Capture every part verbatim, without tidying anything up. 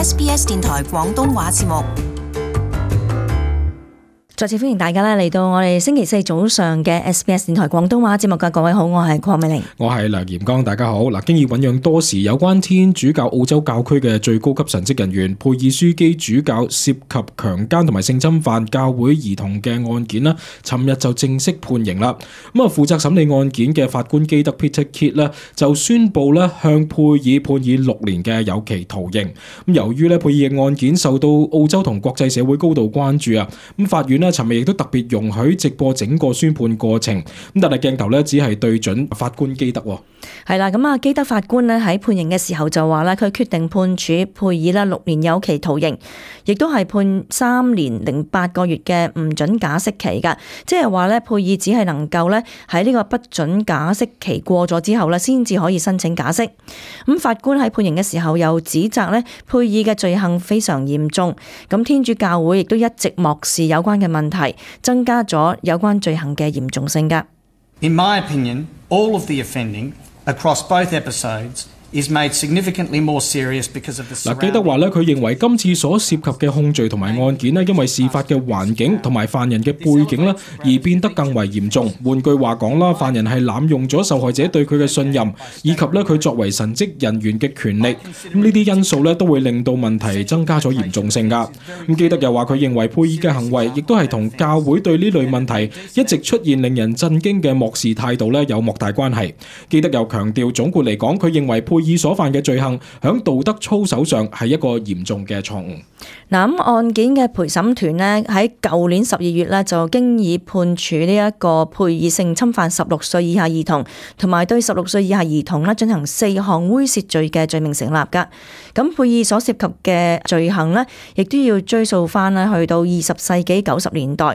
S B S 電台廣東話節目。再次歡迎大家咧嚟到我哋星期四早上嘅 S B S 電台廣東話節目嘅各位好，我係鄺美玲，我係梁炎剛，大家好。嗱，經已醞釀多時有關天主教澳洲教區嘅最高級神職人員佩爾樞機主教涉及強姦同埋性侵犯教會兒童嘅案件啦，尋日就正式判刑啦。咁啊，負責審理案件嘅法官基德 Peter Kidd 咧就宣布咧向佩爾判以六年嘅有期徒刑。咁由於咧佩爾嘅案件受到澳洲同國際社會高度關注啊，咁法院咧尋日亦都特別容許直播整個宣判過程，咁但係鏡頭咧只係對準法官基德。係啦，咁啊基德法官咧喺判刑嘅時候就話咧，佢決定判處佩爾咧六年有期徒刑，亦都係判三年零八個月嘅唔准假釋期噶，即係話咧佩爾只係能夠咧喺呢個不准假釋期過咗之後咧，先至可以申請假釋。咁法官喺判刑嘅時候又指責咧佩爾嘅罪行非常嚴重，咁天主教會亦都一直漠視有關嘅問題，增加咗有關罪行嘅嚴重性噶。In my opinion, all of the offending across both episodes is made significantly more serious because of the surrounding. 嗱，基德話咧，佢認為今次所涉及嘅控罪同埋案件咧，因為事發嘅環境同埋犯人嘅背景咧，而變得更為嚴重。換句話講啦，犯人係濫用咗受害者對佢嘅信任，以及咧佢作為神職人員嘅權力。咁呢啲因素咧，都會令到問題增加咗嚴重性㗎。咁基德又話佢認為佩爾嘅行為，亦都係同教會對呢類問題一直出現令人震驚嘅漠視態度咧，有莫大關係。基德又強調，總括嚟講，佢認為佩爾所犯嘅罪行響道德操守上係一個嚴重嘅錯誤。嗱，咁案件嘅陪審團呢，喺舊年十二月呢，就經已判處呢一個佩爾性侵犯十六歲以下兒童，同埋對十六歲以下兒童呢進行四項猥褻罪嘅罪名成立噶。咁佩爾所涉及嘅罪行呢，亦都要追溯翻呢去到二十世紀九十年代。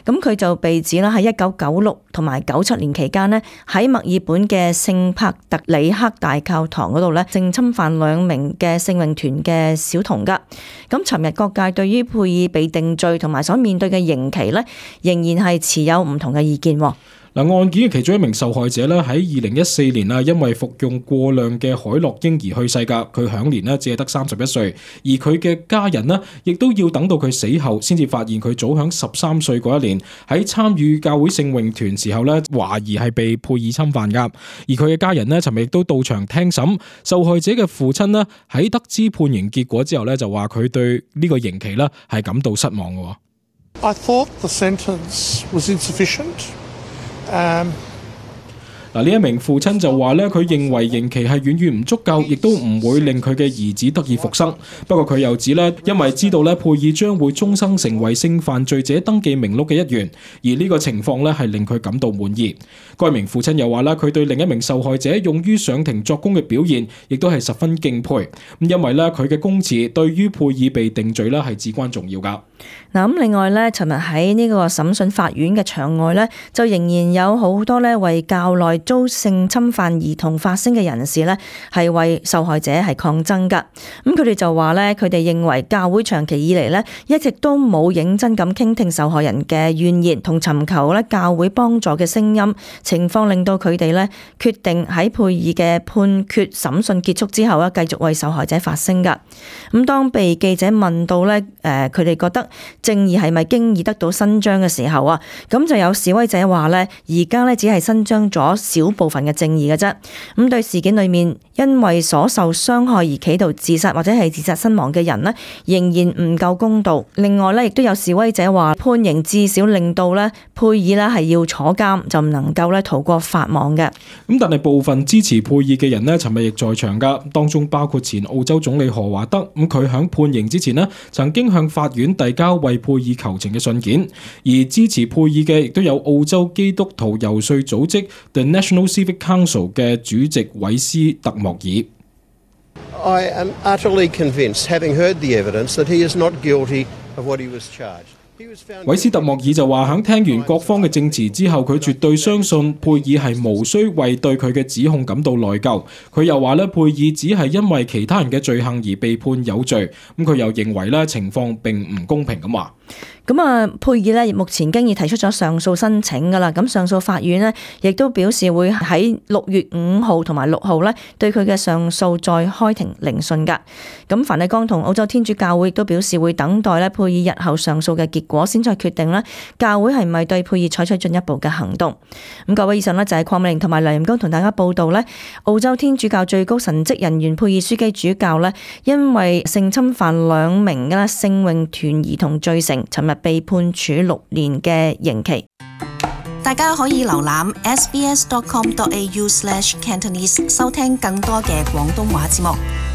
咁佢就被指啦喺一九九六同埋九七年期間呢，喺墨爾本嘅聖帕特里克大教堂嗰度呢，性侵犯兩名嘅聖詠團嘅小童噶。咁尋日各界對於佩爾被定罪同埋所面對嘅刑期呢，仍然係持有唔同嘅意見。嗱，案件嘅其中一名受害者咧，喺二零一四年啊，因為服用過量嘅海洛因而去世噶，佢享年咧只係得三十一歲，而佢嘅家人呢，亦都要等到佢死後先至發現佢早響十三歲嗰一年喺參與教會聖詠團時候咧，懷疑係被佩爾侵犯噶，而佢嘅家人呢，尋日亦都到場聽審。受害者嘅父親呢，喺得知判刑結果之後咧，就話佢對呢個刑期咧係感到失望嘅。I thought the sentence was insufficient. Um, 嗱，呢一名父親就話咧，佢認為刑期係遠遠唔足夠，亦都唔會令佢嘅兒子得以復生。不過佢又指咧，因為知道咧佩爾將會終生成為性犯罪者登記名錄嘅一員，而呢個情況咧係令佢感到滿意。該名父親又話咧，佢對另一名受害者勇於上庭作供嘅表現，亦都係十分敬佩。咁因為咧佢嘅供詞對於佩爾被定罪咧係至關重要㗎。嗱，咁另外咧，尋日喺呢個審訊法院嘅場外咧，就仍然有好多咧為教內遭性侵犯兒童發聲嘅人士咧，係為受害者係抗爭噶。咁佢哋就話咧，佢哋認為教會長期以嚟咧，一直都冇認真咁傾聽受害人嘅怨言同尋求咧教會幫助嘅聲音，情況令到佢哋咧決定喺佩爾嘅判決審訊結束之後咧，繼續為受害者發聲噶。咁當被記者問到咧，誒佢哋覺得正義係咪經已得到伸張嘅時候啊，咁就有示威者話咧，而家咧只係伸張咗少部分嘅正義嘅啫。咁對事件裏面因為所受傷害而企圖自殺或者係自殺身亡嘅人呢，仍然唔夠公道。另外咧，亦都有示威者話判刑至少令到咧佩爾咧係要坐監，就唔能夠咧逃過法網嘅。咁但係部分支持佩爾嘅人呢，尋日亦在場噶，當中包括前澳洲總理何華德。咁佢響判刑之前呢，曾經向法院遞交為佩爾求情嘅信件，而支持佩爾嘅亦都有澳洲基督徒遊說組織 The National Civic Council 嘅主席韋斯特莫爾。I am utterly convinced, having heard the evidence, that he is not guilty of what he was charged. 韋斯特莫爾就話：響聽完各方嘅證詞之後，佢絕對相信佩爾係無需為對佢嘅指控感到內疚。佢又話咧，佩爾只係因為其他人嘅罪行而被判有罪。咁佢又認為咧，情況並唔公平咁話。咁啊，佩爾咧目前經已提出咗上訴申請噶啦，咁上訴法院呢亦都表示會喺六月五號同埋六號咧對佢嘅上訴再開庭聆訊噶。咁梵蒂岡同澳洲天主教會亦都表示會等待咧佩爾日後上訴嘅結果，先再決定咧教會係咪對佩爾採取進一步嘅行動。咁各位，以上呢就係鄺美玲同埋梁炎光同大家報道咧，澳洲天主教最高神職人員佩爾樞機主教咧，因為性侵犯兩名嘅聖詠團兒童罪成，尋日被判處六年嘅刑期。大家可以瀏覽 s b s dot com dot a u slash cantonese 收聽更多嘅廣東話節目。